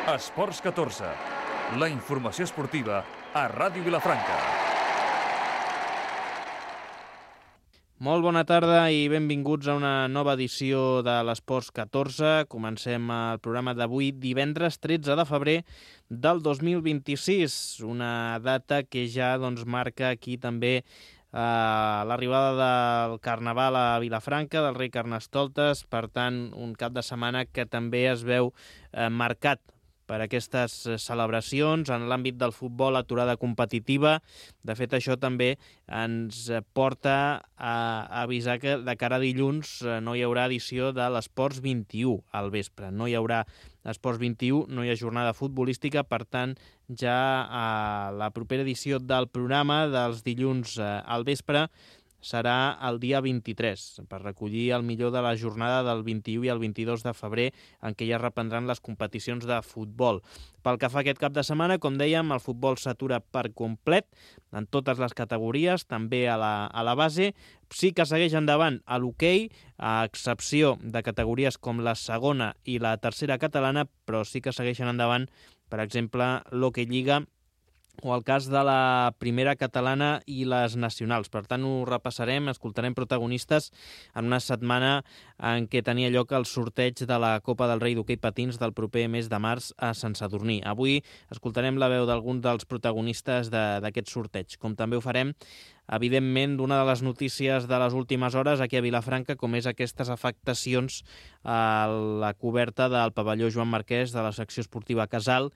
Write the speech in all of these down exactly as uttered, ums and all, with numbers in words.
Esports catorze, la informació esportiva a Ràdio Vilafranca. Molt bona tarda i benvinguts a una nova edició de l'Esports catorze. Comencem el programa d'avui, divendres tretze de febrer del dos mil vint-i-sis, una data que ja doncs, marca aquí també eh, l'arribada del Carnaval a Vilafranca, del rei Carnestoltes, per tant, un cap de setmana que també es veu eh, marcat per aquestes celebracions. En l'àmbit del futbol, aturada competitiva. De fet, això també ens porta a avisar que de cara a dilluns no hi haurà edició de l'Esports vint-i-u al vespre. No hi haurà Esports vint-i-u, no hi ha jornada futbolística, per tant, ja a la propera edició del programa dels dilluns al vespre serà el dia vint-i-tres, per recollir el millor de la jornada del vint-i-u i el vint-i-dos de febrer, en què ja reprendran les competicions de futbol. Pel que fa a aquest cap de setmana, com dèiem, el futbol s'atura per complet, en totes les categories, també a la, a la base. Sí que segueix endavant a l'hoquei, a excepció de categories com la segona i la tercera catalana, però sí que segueixen endavant, per exemple, l'Hoquei Lliga, o el cas de la primera catalana i les nacionals. Per tant, ho repassarem, escoltarem protagonistes en una setmana en què tenia lloc el sorteig de la Copa del Rei d'Hoquei Patins del proper mes de març a Sant Sadurní. Avui escoltarem la veu d'alguns dels protagonistes d'aquest sorteig, com també ho farem evidentment, d'una de les notícies de les últimes hores aquí a Vilafranca, com és aquestes afectacions a la coberta del pavelló Joan Marquès de la secció esportiva Casal,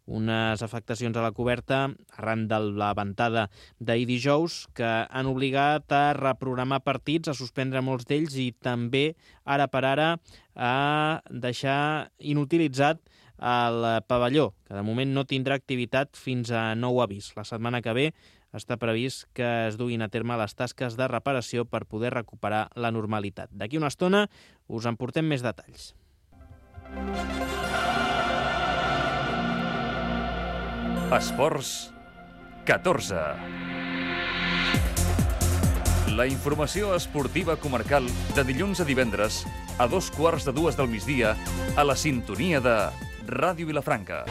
unes afectacions a la coberta arran de la ventada d'ahir dijous que han obligat a reprogramar partits, a suspendre molts d'ells i també, ara per ara, a deixar inutilitzat el pavelló, que de moment no tindrà activitat fins a nou avís. La setmana que ve està previst que es duguin a terme les tasques de reparació per poder recuperar la normalitat. D'aquí una estona us en portem més detalls. Esports catorze. La informació esportiva comarcal de dilluns a divendres a dos quarts de dues del migdia a la sintonia de Ràdio Vilafranca.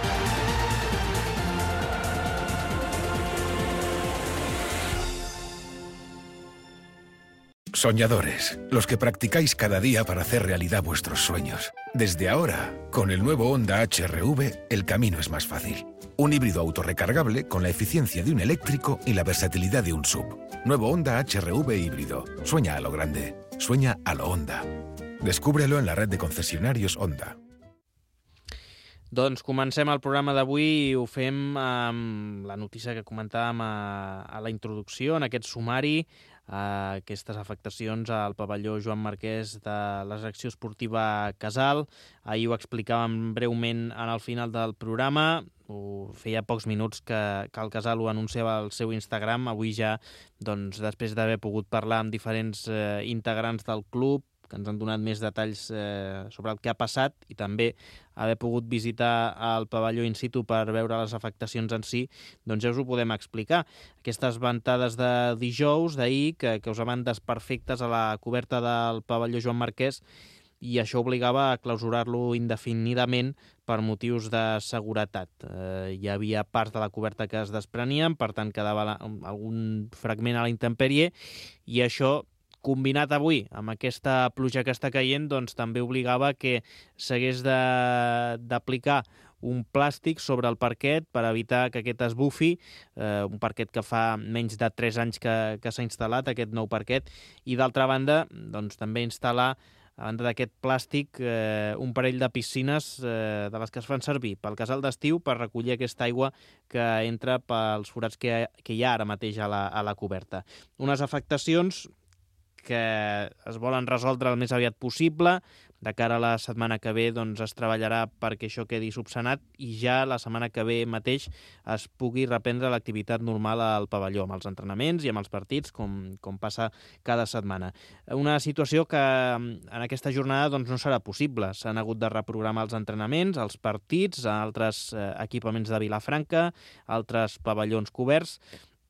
Soñadores, los que practicáis cada día para hacer realidad vuestros sueños. Desde ahora, con el nuevo Honda H R V, el camino es más fácil. Un híbrido autorrecargable con la eficiencia de un eléctrico y la versatilidad de un S U V. Nuevo Honda H R V híbrido. Sueña a lo grande. Sueña a lo Honda. Descúbrelo en la red de concesionarios Honda. Doncs comencem el programa d'avui i ho fem amb la notícia que comentàvem a, a la introducció, en aquest sumari, a aquestes afectacions al pavelló Joan Marquès de la secció esportiva Casal. Ahir ho explicàvem breument en el final del programa. Ho feia pocs minuts que, que el Casal ho anunciava al seu Instagram. Avui ja, doncs, després d'haver pogut parlar amb diferents eh, integrants del club, que ens han donat més detalls eh, sobre el que ha passat i també haver pogut visitar el pavelló in situ per veure les afectacions en si, doncs ja us ho podem explicar. Aquestes ventades de dijous, d'ahir, que causaven desperfectes a la coberta del pavelló Joan Marquès i això obligava a clausurar-lo indefinidament per motius de seguretat. Eh, hi havia parts de la coberta que es desprenien, per tant quedava la, algun fragment a la intempèrie i això, combinat avui amb aquesta pluja que està caient, doncs també obligava que s'hagués d'aplicar un plàstic sobre el parquet per evitar que aquest es bufi, eh, un parquet que fa menys de tres anys que, que s'ha instal·lat, aquest nou parquet, i d'altra banda, doncs també instal·lar, a banda d'aquest plàstic, eh, un parell de piscines eh, de les que es fan servir pel casal d'estiu per recollir aquesta aigua que entra pels forats que, que hi ha ara mateix a la, a la coberta. Unes afectacions que es volen resoldre el més aviat possible. De cara a la setmana que ve doncs, es treballarà perquè això quedi subsanat i ja la setmana que ve mateix es pugui reprendre l'activitat normal al pavelló, amb els entrenaments i amb els partits, com, com passa cada setmana. Una situació que en aquesta jornada doncs, no serà possible. S'han hagut de reprogramar els entrenaments, els partits, altres eh, equipaments de Vilafranca, altres pavellons coberts.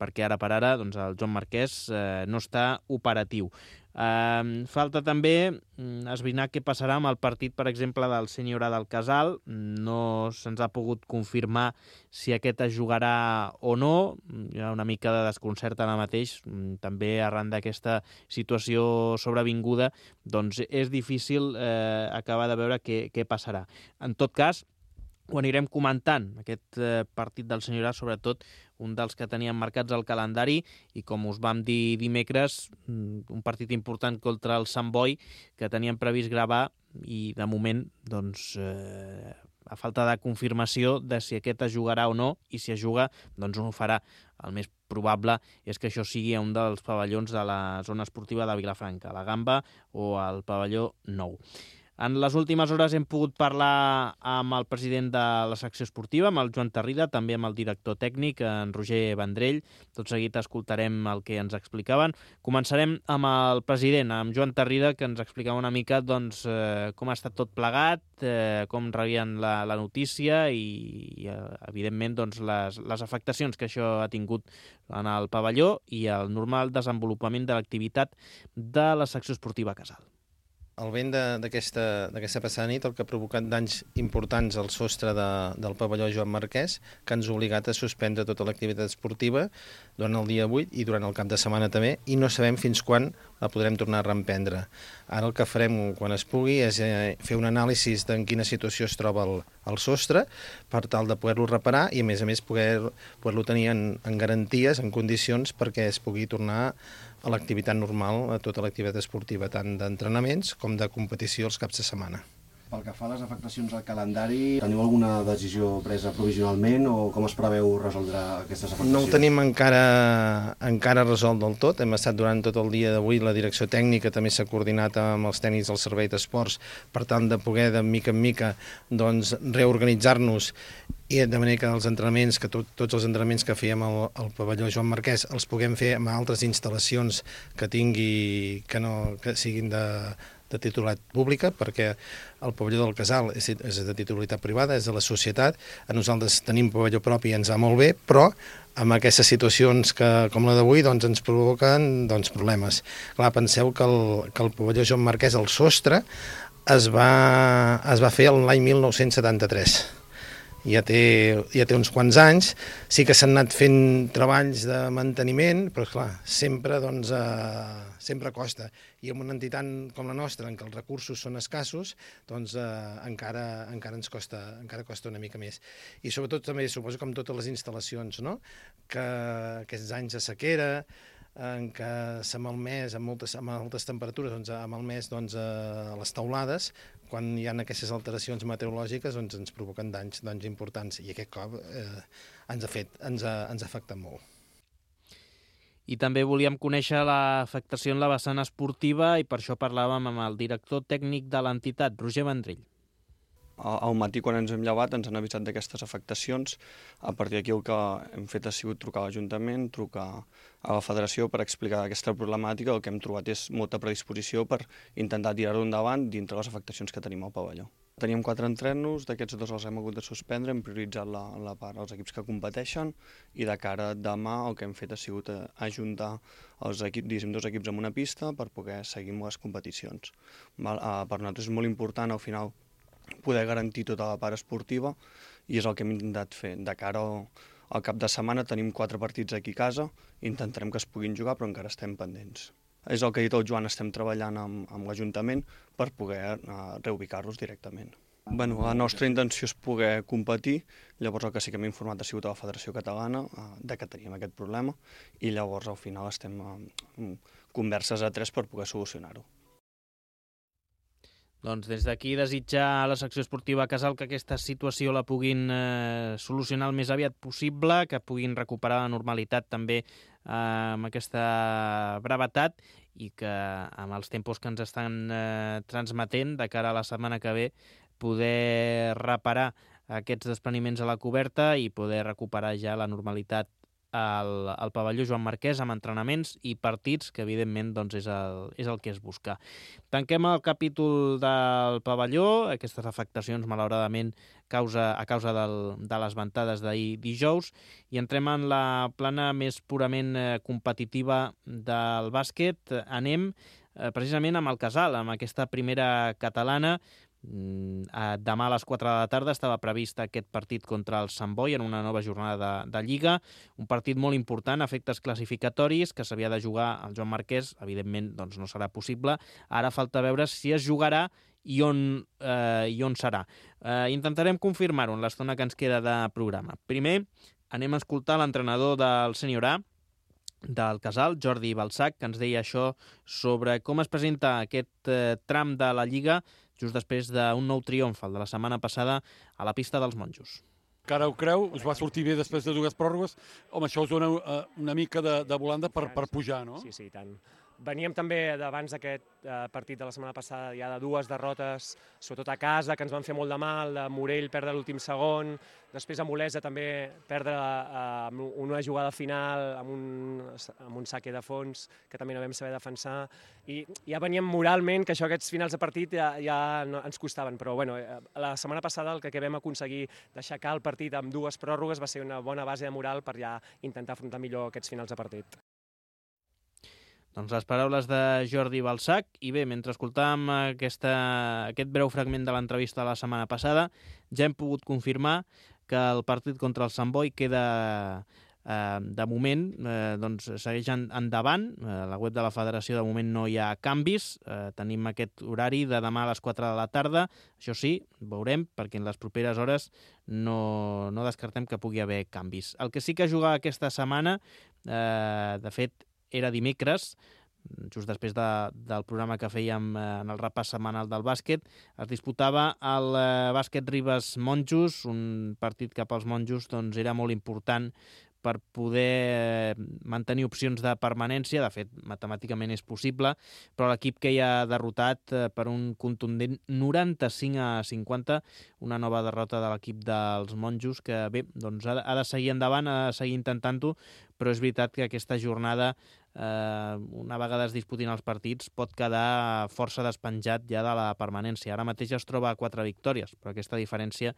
perquè ara per ara doncs, el Joan Marquès eh, no està operatiu. Uh, falta també mm, esbrinar què passarà amb el partit, per exemple, del Senyora del Casal. No se'ns ha pogut confirmar si aquest es jugarà o no. Hi ha una mica de desconcert ara mateix, també arran d'aquesta situació sobrevinguda, doncs és difícil eh, acabar de veure què, què passarà. En tot cas, ho anirem comentant, aquest eh, partit del Senyorat, sobretot un dels que teníem marcats al calendari, i com us vam dir dimecres, un partit important contra el Sant Boi, que teníem previst gravar, i de moment, doncs, eh, a falta de confirmació de si aquest es jugarà o no, i si es juga, doncs on ho farà. El més probable és que això sigui a un dels pavellons de la zona esportiva de Vilafranca, la Gamba o el pavelló nou. En les últimes hores hem pogut parlar amb el president de la secció esportiva, amb el Joan Tarrida, també amb el director tècnic, en Roger Vendrell. Tot seguit escoltarem el que ens explicaven. Començarem amb el president, amb Joan Tarrida, que ens explicava una mica doncs, eh, com ha estat tot plegat, eh, com rebien la, la notícia i, i evidentment, doncs, les, les afectacions que això ha tingut en el pavelló i el normal desenvolupament de l'activitat de la secció esportiva Casal. El vent d'aquesta passada nit el que ha provocat danys importants al sostre de, del pavelló Joan Marquès, que ens ha obligat a suspendre tota l'activitat esportiva durant el dia vuit i durant el cap de setmana també, i no sabem fins quan la podrem tornar a reemprendre. Ara el que farem quan es pugui és eh, fer un anàlisi en quina situació es troba el, el sostre per tal de poder-lo reparar i a més a més poder-lo poder tenir en, en garanties, en condicions perquè es pugui tornar a l'activitat normal, a tota l'activitat esportiva, tant d'entrenaments com de competició els caps de setmana. Pel que fa a les afectacions al calendari, teniu alguna decisió presa provisionalment o com es preveu resoldre aquestes afectacions? No ho tenim encara, encara resolt del tot. Hem estat durant tot el dia d'avui, la direcció tècnica també s'ha coordinat amb els tècnics del Servei d'Esports per tant de poder, de mica en mica, doncs, reorganitzar-nos i de manera que els entrenaments, que tot, tots els entrenaments que fèiem al, al pavelló Joan Marquès els puguem fer amb altres instal·lacions que tingui, que no que siguin de, de titularitat pública, perquè el pavelló del Casal és, és de titularitat privada, és de la societat. A nosaltres tenim pavelló propi i ens va molt bé, però amb aquestes situacions que, com la d'avui, doncs, ens provoquen doncs, problemes. Clar, penseu que el, que el pavelló Joan Marquès, el sostre, es va, es va fer l'any mil nou-cents setanta-tres. Ja té, ja té uns quants anys, sí que s'han anat fent treballs de manteniment, però clar, sempre, doncs, eh, sempre costa. I amb una entitat com la nostra, en què els recursos són escassos, doncs eh, encara, encara ens costa, encara costa una mica més. I sobretot també, suposo que amb totes les instal·lacions, no? Que aquests anys de sequera, en què s'ha malmès amb moltes, amb altes temperatures, doncs, ha malmès doncs, a les teulades, quan hi ha aquestes alteracions meteorològiques doncs, ens provoquen danys, danys importants, i aquest cop eh, ens ha fet, ens ha, ens ha afectat molt. I també volíem conèixer l'afectació en la vessant esportiva i per això parlàvem amb el director tècnic de l'entitat, Roger Vendrell. Al matí, quan ens hem llevat, ens han avisat d'aquestes afectacions. A partir d'aquí el que hem fet ha sigut trucar a l'Ajuntament, trucar a la Federació per explicar aquesta problemàtica. El que hem trobat és molta predisposició per intentar tirar-ho endavant dintre les afectacions que tenim al pavelló. Teníem quatre entrenos, d'aquests dos els hem hagut de suspendre, hem prioritzat la, la part als equips que competeixen i de cara a demà el que hem fet ha sigut ajuntar els equips, diguéssim, dos equips en una pista per poder seguir amb les competicions. Val? Per nosaltres és molt important, al final, poder garantir tota la part esportiva i és el que hem intentat fer. De cara al, al cap de setmana tenim quatre partits aquí a casa, intentarem que es puguin jugar però encara estem pendents. És el que ha dit el Joan, estem treballant amb, amb l'Ajuntament per poder uh, reubicar-los directament. Bueno, la nostra intenció és poder competir, llavors el que sí que hem informat ha sigut a la Federació Catalana uh, de que teníem aquest problema i llavors al final estem uh, converses a tres per poder solucionar-ho. Doncs des d'aquí desitjar a la secció esportiva Casal que aquesta situació la puguin eh, solucionar el més aviat possible, que puguin recuperar la normalitat també eh, amb aquesta brevetat i que amb els tempos que ens estan eh, transmetent de cara a la setmana que ve poder reparar aquests despreniments a la coberta i poder recuperar ja la normalitat al, al pavelló Joan Marquès amb entrenaments i partits, que evidentment doncs, és, el, és el que es busca. Tanquem el capítol del pavelló, aquestes afectacions malauradament causa, a causa del, de les ventades d'ahir dijous, i entrem en la plana més purament eh, competitiva del bàsquet. Anem eh, precisament amb el Casal, amb aquesta primera catalana. Demà a les quatre de la tarda estava previst aquest partit contra el Sant Boi en una nova jornada de, de Lliga, un partit molt important a efectes classificatoris que s'havia de jugar al Joan Marquès, evidentment doncs no serà possible, ara falta veure si es jugarà i on, eh, i on serà. Eh, intentarem confirmar-ho en l'estona que ens queda de programa. Primer anem a escoltar l'entrenador del Sènior A, del Casal, Jordi Balsac, que ens deia això sobre com es presenta aquest eh, tram de la Lliga just després d'un nou triomf, el de la setmana passada, a la pista dels Monjos. Cara ho creu, us va sortir bé després de dues pròrrogues. Home, això us dona uh, una mica de, de volanda per, per pujar, no? Sí, sí, tant. Veníem també d'abans d'aquest eh, partit de la setmana passada ja de dues derrotes, sobretot a casa, que ens van fer molt de mal, de Morell perdre l'últim segon, després a Olesa també perdre eh, una jugada final amb un, amb un saque de fons que també no vam saber defensar, i ja veníem moralment que això, aquests finals de partit ja, ja no, ens costaven, però bueno, la setmana passada el que, que vam aconseguir d'aixecar el partit amb dues pròrrogues va ser una bona base de moral per ja intentar afrontar millor aquests finals de partit. Doncs les paraules de Jordi Balsac. I bé, mentre escoltàvem aquesta, aquest breu fragment de l'entrevista de la setmana passada, ja hem pogut confirmar que el partit contra el Sant Boi queda, eh, de moment, eh, doncs segueix endavant. Eh, a la web de la federació de moment no hi ha canvis. Eh, tenim aquest horari de demà a les quatre de la tarda. Això sí, veurem, perquè en les properes hores no, no descartem que pugui haver canvis. El que sí que juga aquesta setmana, eh, de fet, era dimecres, just després de, del programa que fèiem en el repàs setmanal del bàsquet, es disputava el bàsquet Ribes Monjos, un partit cap als Monjos doncs, era molt important per poder mantenir opcions de permanència. De fet, matemàticament és possible, però l'equip que hi ha derrotat per un contundent noranta-cinc a cinquanta, una nova derrota de l'equip dels Monjos, que bé, doncs ha de seguir endavant, ha de seguir intentant-ho, però és veritat que aquesta jornada, eh, una vegada es disputin els partits, pot quedar força despenjat ja de la permanència. Ara mateix es troba a quatre victòries, però aquesta diferència,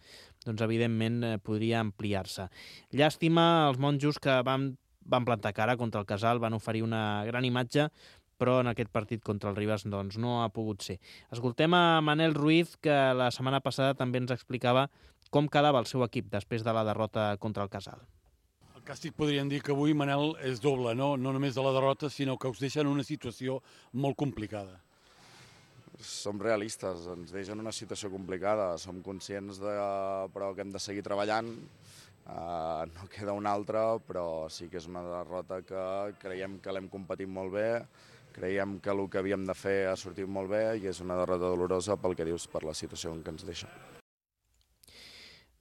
doncs, evidentment, eh, podria ampliar-se. Llàstima als Monjos que van, van plantar cara contra el Casal, van oferir una gran imatge, però en aquest partit contra el Ribes doncs, no ha pogut ser. Escoltem a Manel Ruiz, que la setmana passada també ens explicava com quedava el seu equip després de la derrota contra el Casal. El càstig podríem dir que avui, Manel, és doble, no? No només de la derrota, sinó que us deixa en una situació molt complicada. Som realistes, ens deixa en una situació complicada, som conscients de, però que hem de seguir treballant, uh, no queda una altra, però sí que és una derrota que creiem que l'hem competit molt bé, creiem que el que havíem de fer ha sortit molt bé i és una derrota dolorosa pel que dius, per la situació en què ens deixa.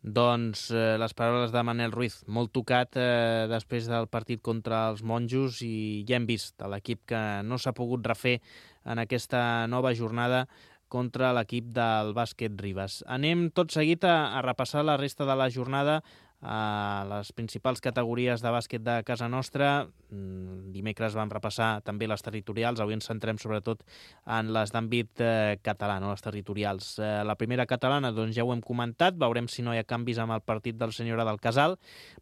Doncs eh, les paraules de Manel Ruiz, molt tocat eh, després del partit contra els Monjos, i ja hem vist l'equip que no s'ha pogut refer en aquesta nova jornada contra l'equip del bàsquet Ribes. Anem tot seguit a, a repassar la resta de la jornada a les principals categories de bàsquet de casa nostra. Dimecres vam repassar també les territorials, avui ens centrem sobretot en les d'àmbit eh, català, no les territorials. Eh, la primera catalana, doncs ja ho hem comentat, veurem si no hi ha canvis amb el partit del Sènior A del Casal.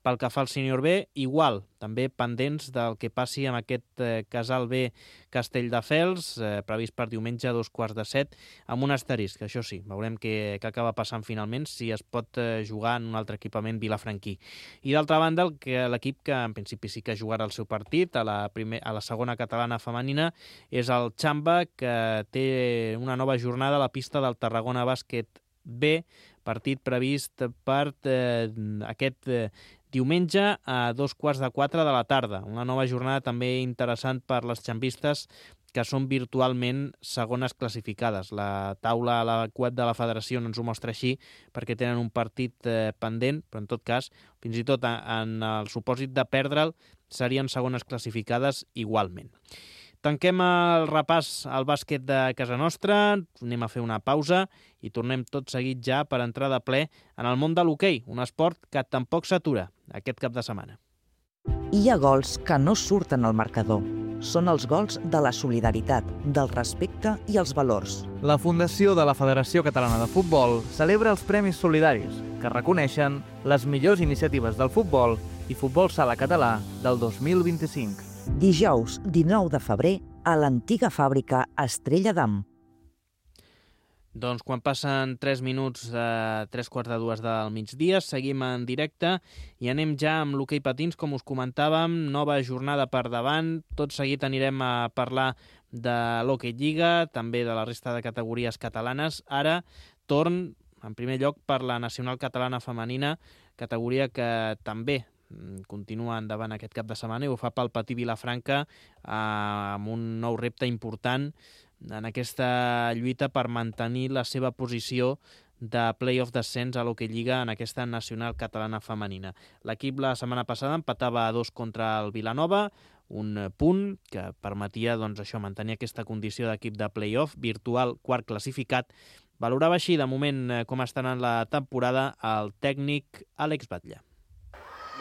Pel que fa al Sènior B, igual, també pendents del que passi amb aquest eh, Casal B Castelldefels, eh, previst per diumenge a dos quarts de set, amb un asterisc, això sí, veurem què, què acaba passant finalment, si es pot eh, jugar en un altre equipament vilafranquí. I d'altra banda, el que l'equip que en principi sí que jugarà el seu partit a la, primer, a la segona catalana femenina és el Xamba, que té una nova jornada a la pista del Tarragona Bàsquet B, partit previst per eh, aquest eh, diumenge a dos quarts de quatre de la tarda. Una nova jornada també interessant per les xambistes, que són virtualment segones classificades. La taula a la web de la federació no ens ho mostra així, perquè tenen un partit eh, pendent, però en tot cas, fins i tot en el supòsit de perdre'l, serien segones classificades igualment. Tanquem el repàs al bàsquet de casa nostra, anem a fer una pausa i tornem tot seguit ja per entrar de ple en el món de l'hoquei, un esport que tampoc s'atura aquest cap de setmana. Hi ha gols que no surten al marcador. Són els gols de la solidaritat, del respecte i els valors. La Fundació de la Federació Catalana de Futbol celebra els Premis Solidaris, que reconeixen les millors iniciatives del futbol i futbol sala català del dos mil vint-i-cinc. Dijous, dinou de febrer, a l'antiga fàbrica Estrella d'Am. Doncs quan passen tres minuts de tres quarts de dues del migdia, seguim en directe i anem ja amb l'hoquei patins, com us comentàvem, nova jornada per davant. Tot seguit anirem a parlar de l'Hockey Lliga, també de la resta de categories catalanes. Ara, torn, en primer lloc, per la Nacional Catalana Femenina, categoria que també continua endavant aquest cap de setmana i ho fa pel Patí Vilafranca amb un nou repte important en aquesta lluita per mantenir la seva posició de play-off descens a l'Hockey Lliga en aquesta Nacional Catalana Femenina. L'equip la setmana passada empatava a dos contra el Vilanova, un punt que permetia doncs, això mantenir aquesta condició d'equip de play-off, virtual quart classificat. Valorava així de moment com està anant la temporada el tècnic Àlex Batlle.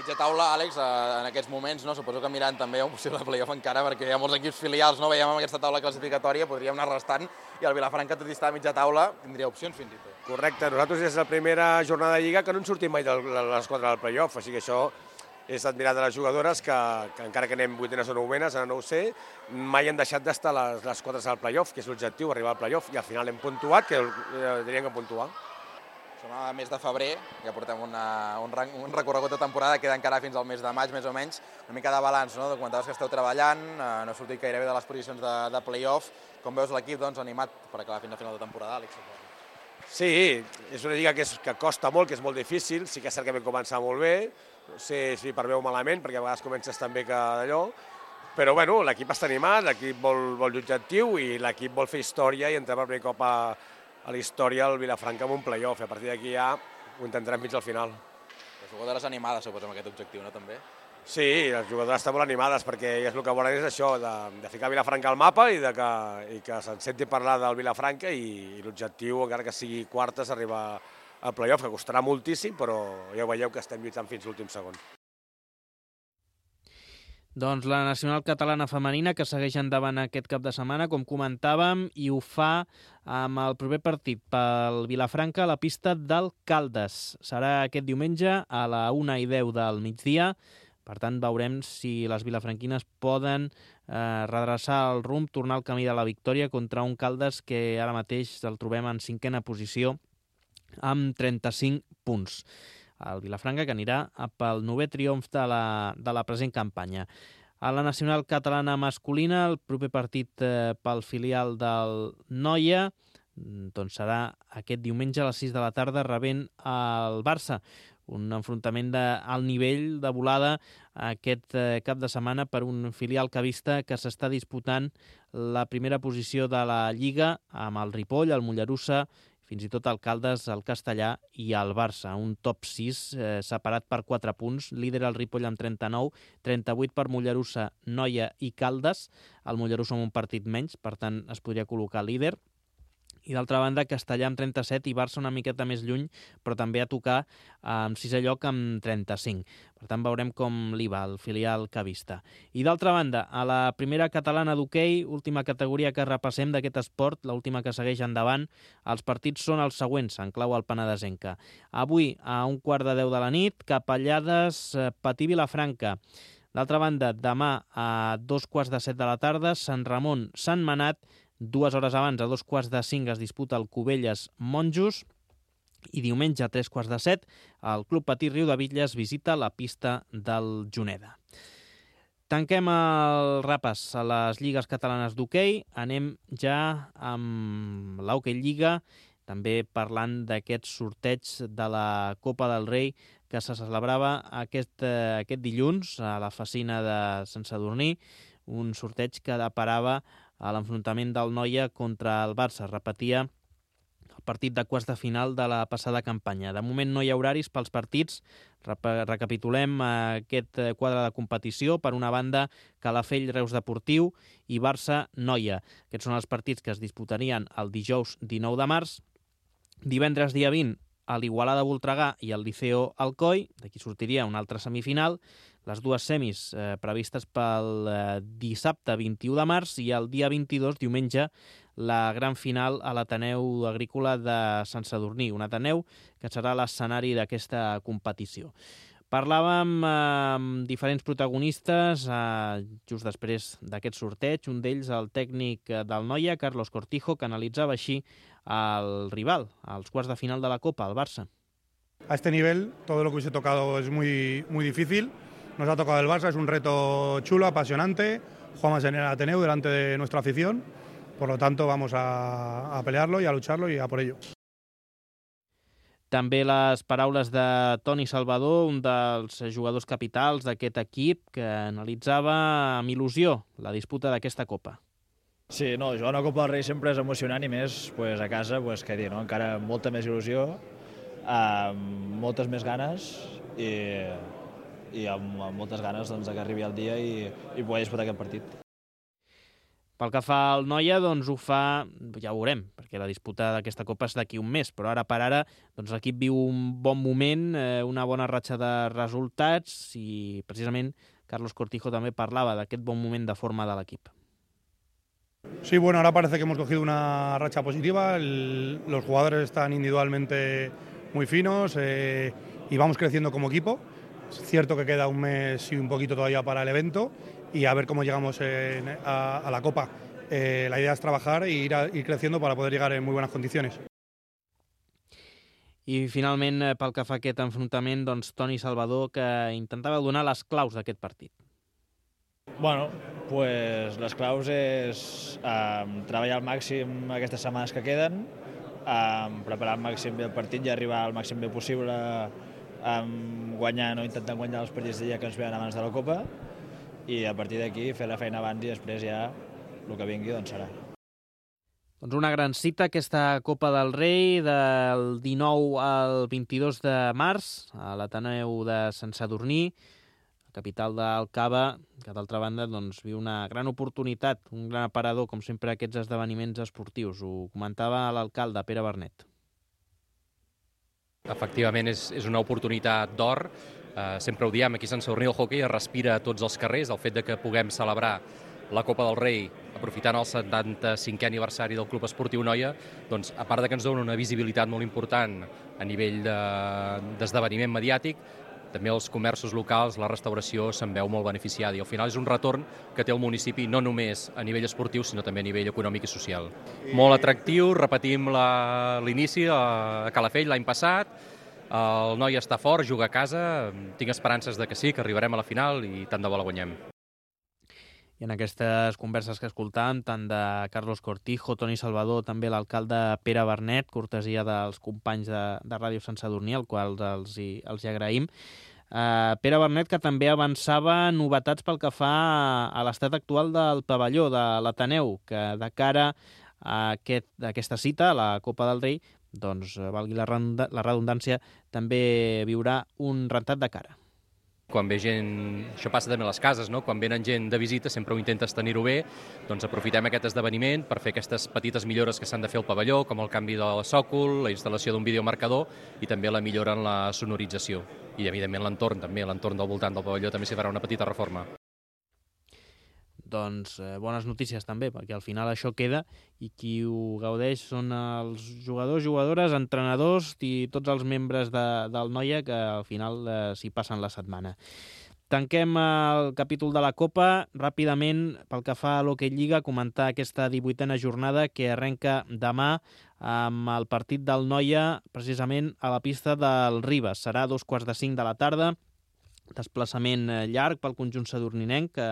Mitja taula, Àlex, en aquests moments, no? Suposo que mirant també un possible play-off encara, perquè hi ha molts equips filials, no? Veiem amb aquesta taula classificatòria, podríem anar restant, i el Vilafranca, tot i estar a mitja taula, tindria opcions fins i tot. Correcte, nosaltres és la primera jornada de Lliga que no en sortim mai de les quatre del play-off, així que això és admirat de les jugadores que, que encara que anem vuitenes o novenes, ara no ho sé, mai han deixat d'estar les, les quatre al play-off, que és l'objectiu, arribar al play-off, i al final hem puntuat, que eh, diríem que puntuar. Som a mes de febrer, ja portem una, un, un recorregut de temporada, queda encara fins al mes de maig, més o menys. Una mica de balanç, no? Comentaves que esteu treballant, eh, no ha sortit gairebé de les posicions de, de play-off. Com veus l'equip doncs, animat per acabar fins al final de temporada, Àlex? Sí, és una lliga que, és, que costa molt, que és molt difícil, sí que és cert que vam començar molt bé, no sé si per bé o malament, perquè a vegades comences també que d'allò, però bueno, l'equip està animat, l'equip vol, vol l'objectiu i l'equip vol fer història i entrar per primer cop a a la història del Vilafranca amb un play-off. A partir d'aquí ja ho intentarem fins al final. Les jugadores animades, suposo, amb aquest objectiu, no, també? Sí, les jugadores estan molt animades perquè és el que volen és això, de, de ficar Vilafranca al mapa i, de que, i que se'n senti parlar del Vilafranca i, i l'objectiu, encara que sigui quartes, arribar al play-off, que costarà moltíssim, però ja ho veieu que estem lluitant fins l'últim segon. Doncs la Nacional Catalana Femenina, que segueix endavant aquest cap de setmana, com comentàvem, i ho fa amb el proper partit pel Vilafranca a la pista del Caldes. Serà aquest diumenge a la una i deu del migdia. Per tant, veurem si les vilafranquines poden eh, redreçar el rumb, tornar al camí de la victòria contra un Caldes que ara mateix el trobem en cinquena posició amb trenta-cinc punts. El Vilafranca, que anirà pel novè triomf de la, de la present campanya. A la Nacional Catalana Masculina, el proper partit eh, pel filial del Noia doncs serà aquest diumenge a les sis de la tarda rebent el Barça. Un enfrontament d'alt nivell de volada aquest eh, cap de setmana per un filial cavista que s'està disputant la primera posició de la Lliga amb el Ripoll, el Mollerussa, fins i tot el Caldes, el Castellà i el Barça. Un top sis eh, separat per quatre punts. Líder el Ripoll amb trenta-nou, trenta-vuit per Mollerussa, Noia i Caldes. El Mollerussa amb un partit menys, per tant es podria col·locar líder. I d'altra banda, Castellà amb trenta-set i Barça una miqueta més lluny, però també a tocar en sisè lloc amb trenta-cinc. Per tant, veurem com li va el filial cavista. I d'altra banda, a la primera catalana d'hoquei, última categoria que repassem d'aquest esport, l'última que segueix endavant, els partits són els següents, en clau al Penedesenca. Avui, a un quart de deu de la nit, Capellades, Patí Vilafranca. D'altra banda, demà a dos quarts de set de la tarda, Sant Ramon, Sant Manat. Dues hores abans, a dos quarts de cinc, es disputa el Cubelles Monjos i diumenge a tres quarts de set el Club Patí Riudebitlles visita la pista del Juneda. Tanquem el repàs a les lligues catalanes d'hoquei. Anem ja amb l'Hockey Lliga, també parlant d'aquest sorteig de la Copa del Rei que se celebrava aquest, aquest dilluns a la Facina de Sant Sadurní, un sorteig que deparava a l'enfrontament del Noia contra el Barça. Repetia el partit de quarts de final de la passada campanya. De moment no hi ha horaris pels partits. Recapitulem aquest quadre de competició. Per una banda, Calafell, Reus Deportiu i Barça-Noia. Aquests són els partits que es disputarien el dijous dinou de març. Divendres dia vint, a l'Igualada Voltregà i el Liceo Alcoi. D'aquí sortiria una altra semifinal. les dues semis eh, previstes pel eh, dissabte vint-i-u de març i el dia vint-i-dos, diumenge, la gran final a l'Ateneu Agrícola de Sant Sadurní, un Ateneu que serà l'escenari d'aquesta competició. Parlàvem eh, amb diferents protagonistes eh, just després d'aquest sorteig, un d'ells el tècnic del Noia, Carlos Cortijo, que analitzava així el rival, als quarts de final de la Copa, el Barça. A este nivel todo lo que hubiese tocado es muy, muy difícil. Nos ha tocado el Barça, es un reto chulo, apasionante. Jugamos en el Ateneu delante de nuestra afición. Por lo tanto, vamos a, a pelearlo y a lucharlo y a por ello. També les paraules de Toni Salvador, un dels jugadors capitals d'aquest equip, que analitzava amb il·lusió la disputa d'aquesta Copa. Sí, no, jugar una Copa del Rei sempre és emocionant i més pues, a casa, pues, què dir, no? Encara molta més il·lusió, amb moltes més ganes i, i amb, amb moltes ganes doncs, que arribi el dia i, i poder disputar aquest partit. Pel que fa al Noia, doncs ho fa, ja ho veurem, perquè la disputa d'aquesta Copa és d'aquí un mes, però ara per ara doncs, l'equip viu un bon moment, eh, una bona ratxa de resultats i precisament Carlos Cortijo també parlava d'aquest bon moment de forma de l'equip. Sí, bueno, ahora parece que hemos cogido una racha positiva, el, los jugadores están individualmente muy finos eh, y vamos creciendo como equipo. Es cierto que queda un mes y un poquito todavía para el evento y a ver cómo llegamos en, a, a la Copa. Eh, la idea es trabajar e ir, a, ir creciendo para poder llegar en muy buenas condiciones. I finalment, pel que fa a aquest enfrontament, doncs Toni Salvador, que intentava donar les claus d'aquest partit. Bueno, pues les claus és um, treballar al màxim aquestes setmanes que queden, um, preparar al màxim bé el partit i arribar al màxim bé possible um, guanyant o intentant guanyar els partits de dia que ens venen abans de la Copa i a partir d'aquí fer la feina abans i després ja el que vingui doncs serà. Doncs una gran cita, aquesta Copa del Rei, del dinou al vint-i-dos de març, a l'Ateneu de Sant Sadurní, capital del Cava, que d'altra banda doncs, viu una gran oportunitat, un gran aparador, com sempre, aquests esdeveniments esportius. Ho comentava l'alcalde, Pere Bernet. Efectivament, és, és una oportunitat d'or. Uh, sempre ho diem, aquí a Sant Sadurní el hoquei es respira a tots els carrers. El fet de que puguem celebrar la Copa del Rei aprofitant el setanta-cinquè aniversari del Club Esportiu Noia, doncs, a part de que ens dona una visibilitat molt important a nivell d'esdeveniment de, mediàtic, també els comerços locals, la restauració se'n veu molt beneficiada i al final és un retorn que té el municipi no només a nivell esportiu sinó també a nivell econòmic i social. Molt atractiu, repetim l'inici a Calafell l'any passat, el Noia està fort, juga a casa, tinc esperances de que sí, que arribarem a la final i tant de bo la guanyem. I en aquestes converses que escoltàvem, tant de Carlos Cortijo, Toni Salvador, també l'alcalde Pere Bernet, cortesia dels companys de, de Ràdio Sant Sadurní, al qual els hi, els hi agraïm. Uh, Pere Bernet, que també avançava novetats pel que fa a, a l'estat actual del pavelló de l'Ateneu, que de cara a, aquest, a aquesta cita, a la Copa del Rei, doncs, valgui la, la redundància, també viurà un rentat de cara. Quan ve gent, això passa també a les cases, no? Quan venen gent de visita sempre ho intentes tenir-ho bé, doncs aprofitem aquest esdeveniment per fer aquestes petites millores que s'han de fer al pavelló, com el canvi del sòcol, la instal·lació d'un videomarcador i també la millora en la sonorització. I evidentment l'entorn també, l'entorn del voltant del pavelló també s'hi farà una petita reforma. Doncs eh, bones notícies també, perquè al final això queda i qui ho gaudeix són els jugadors, jugadores, entrenadors i tots els membres de, del Noia que al final eh, s'hi passen la setmana. Tanquem el capítol de la Copa. Ràpidament, pel que fa a l'Hockey Lliga, comentar aquesta divuitena jornada que arrenca demà amb el partit del Noia precisament a la pista del Ribes. Serà a dos quarts de cinc de la tarda. Desplaçament llarg pel conjunt sadurninenc, que,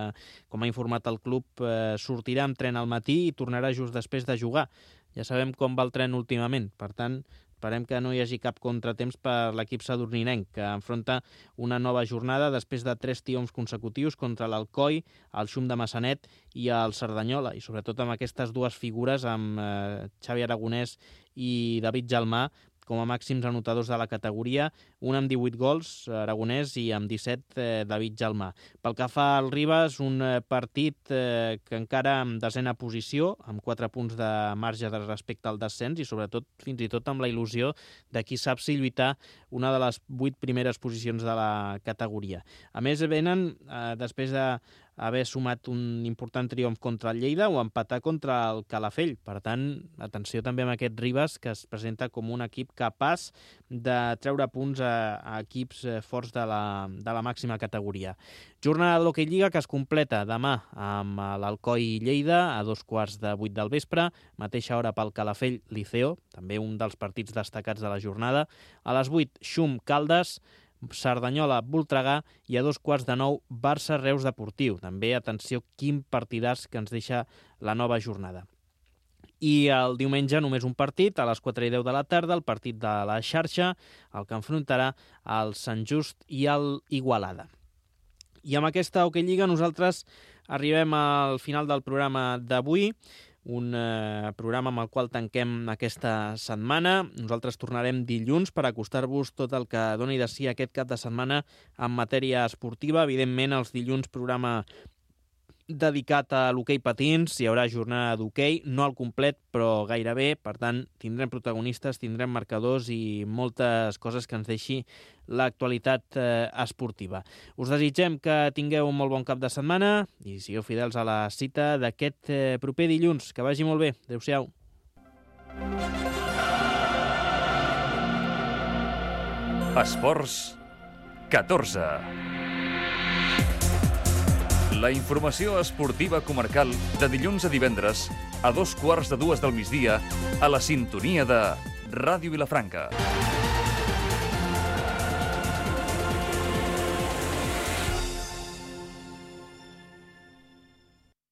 com ha informat el club, eh, sortirà amb tren al matí i tornarà just després de jugar. Ja sabem com va el tren últimament, per tant, esperem que no hi hagi cap contratemps per l'equip sadurninenc, que enfronta una nova jornada després de tres triomfs consecutius contra l'Alcoi, el Xum de Massanet i el Cerdanyola, i sobretot amb aquestes dues figures, amb eh, Xavi Aragonès i David Jalmà, com a màxims anotadors de la categoria, un amb divuit gols, Aragonès, i amb disset, eh, David Jalmà. Pel que fa al Ribas, un partit eh, que encara en desena posició, amb quatre punts de marge de respecte al descens i sobretot, fins i tot, amb la il·lusió de qui sap si lluitar una de les vuit primeres posicions de la categoria. A més, venen, eh, després de haver sumat un important triomf contra el Lleida o empatar contra el Calafell. Per tant, atenció també amb aquest Ribas, que es presenta com un equip capaç de treure punts a, a equips forts de la, de la màxima categoria. Jornada de l'Hockey Lliga que es completa demà amb l'Alcoi Lleida a dos quarts de vuit del vespre, mateixa hora pel Calafell Liceo, també un dels partits destacats de la jornada. A les vuit, Xum Caldes, Cerdanyola Voltregà i a dos quarts de nou Barça Reus Deportiu. També, atenció, quin partidàs que ens deixa la nova jornada. I el diumenge només un partit, a les quatre i deu de la tarda, el partit de la xarxa, el que enfrontarà el Sant Just i el Igualada. I amb aquesta Hockey Lliga nosaltres arribem al final del programa d'avui, un eh, programa amb el qual tanquem aquesta setmana. Nosaltres tornarem dilluns per acostar-vos tot el que doni de si aquest cap de setmana en matèria esportiva. Evidentment, els dilluns programa dedicat a l'hoquei patins, hi haurà jornada d'hoquei, no al complet, però gairebé. Per tant, tindrem protagonistes, tindrem marcadors i moltes coses que ens deixi l'actualitat eh, esportiva. Us desitgem que tingueu un molt bon cap de setmana i sigueu fidels a la cita d'aquest eh, proper dilluns. Que vagi molt bé. Adéu-siau. Esports catorze. La informació esportiva comarcal de dilluns a divendres a dos quarts de dues del migdia a la sintonia de Ràdio Vilafranca.